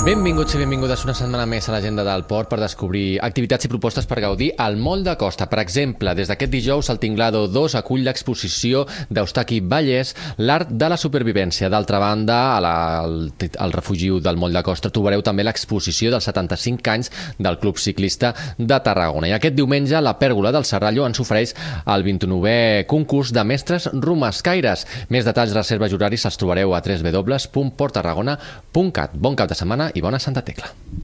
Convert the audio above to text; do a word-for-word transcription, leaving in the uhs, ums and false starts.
Benvinguts i benvingudes una setmana més a l'agenda del port per descobrir activitats i propostes per gaudir al Moll de Costa. Per exemple, des d'aquest dijous, el Tinglado dos acull l'exposició d'Eustaqui Vallès, l'art de la supervivència. D'altra banda, a la, al, al refugi del Moll de Costa trobareu també l'exposició dels setanta-cinc anys del Club Ciclista de Tarragona. I aquest diumenge, la Pèrgola del Serrallo ens ofereix el vint-i-novè concurs de mestres romescaires. Més detalls, reserves i horaris els trobareu a w w w punt port tarragona punt cat. Bon cap de setmana i bona Santa Tecla.